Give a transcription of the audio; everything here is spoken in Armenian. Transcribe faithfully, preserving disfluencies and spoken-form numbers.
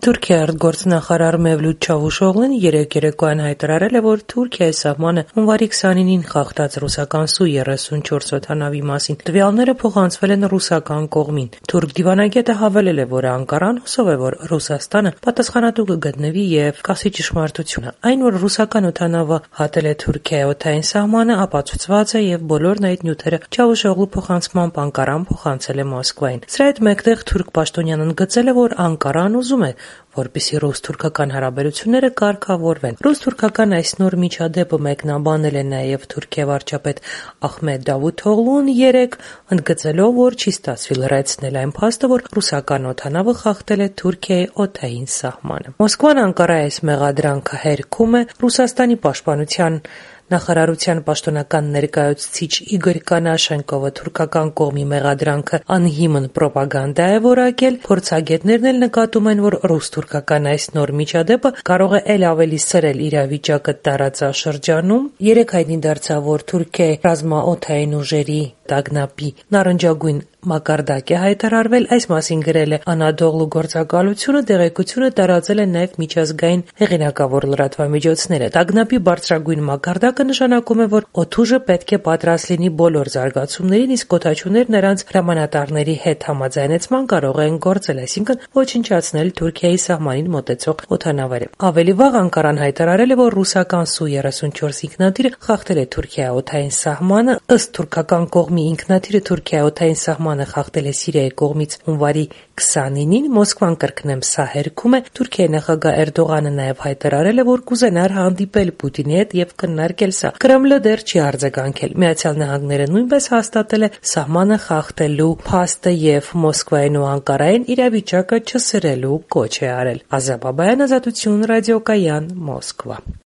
Թուրքիայի արտգործնախարար Մևլութ Չավուշօղլուն երեկ երեկոյան հայտարարել է, որ Թուրքիայի սահմանը հունվարի քսանինին խախտած ռուսական Սու երեսունչորս օդանավի մասին տվյալները փոխանցվել են ռուսական կողմին։ Թուրք դիվանագետը հավելել է, որ Անկարան հուսով է, որ Ռուսաստանը պատասխանատու կգտնվի եւ կասի ճշմարտությունը։ Այն, որ ռուսական օդանավը հատել է Թուրքիայի օդային սահմանը, ապացուցված է եւ բոլորն այդ նյութերը Չավուշօղլու փոխանցմամբ Անկարան փոխանցել է Մոսկվային։ Սրա հետ մեկտեղ Թուրք պաշտոնյան ընդգծել է, որ Անկարան ուզում է, որպեսզի ռուս-թուրքական հարաբերությունները կարգավորվեն։ Ռուս-թուրքական այս նոր միջադեպը մեկնաբանել է նաև Թուրքիայի վարչապետ Ախմեդ Դավութօղլուն երեկ, ընդգծելով, որ չի ստացվի լրացնել այն փաստը, որ ռուսական օդանավը խախտել է Թուրքիայի օդային սահմանը։ Մոսկվան Անկարայի այս մեղադրանքը հերքում է։ Ռուսաստանի պաշտպանության նախարարության պաշտոնական ներկայացուցիչ Իգոր Կանաշենկովը թուրքական կողմի մեղադրանքը անհիմն պրոպագանդա է որակել։ Փորձագետներն էլ նկատում են, որ ռուս-թուրքական այս նոր միջադեպը կարող է ել ավելի սրել իրավիճակը տարածաշրջանում։ Երեկ հայտնի դարձավ, որ Թուրքիայի ռազմաօդային ուժերի տագնապի նարնջագույն մակարդակ է հայտարարվել։ Այս մասին գրել է Անադոլու գործակալությունը, տեղեկությունը տարածել են նաև միջազգային հեղինակավոր լրատվամիջոցները։ Տագնապի բարձրագույն մակարդակը նշանակում է, որ օդուժը պետք է պատրաստ լինի բոլոր զարգացումներին, իսկ օդաչուները նրանց հրամանատարների հետ համաձայնեցման կարող են գործել, այսինքն ոչնչացնել Թուրքիայի սահմանին մոտեցող օդանավերը։ Ավելի վաղ Անկարան հայտարարել է, որ ռուսական Սու երեսունչորս ինքնաթիռը խախտել է Թուրքիայի օդային սահմանը։ Ըստ թուրքական կողմի ինքնաթիռը Թուրքիայի օդային սահմանը խախտել է Սիրիայի կողմից հունվարի քսանինին։ Մոսկվան կրկնեմ սա հերքում է։ Թուրքիայի նախագահ Էրդողանը նաև հայտարարել է, որ կուզենար հանդիպել Պուտինի հետ եւ քննարկել սա։ Կրեմլը դեռ չի արձագանքել։ Միացյալ Նահանգները նույնպես հաստատել է սահմանը խախտելու փաստը եւ Մոսկվային ու Անկարային իրավիճակը չսրելու կոչ է արել։ Ազա Բաբայան, Ազատություն, ռադիոկայան, Մոսկվա։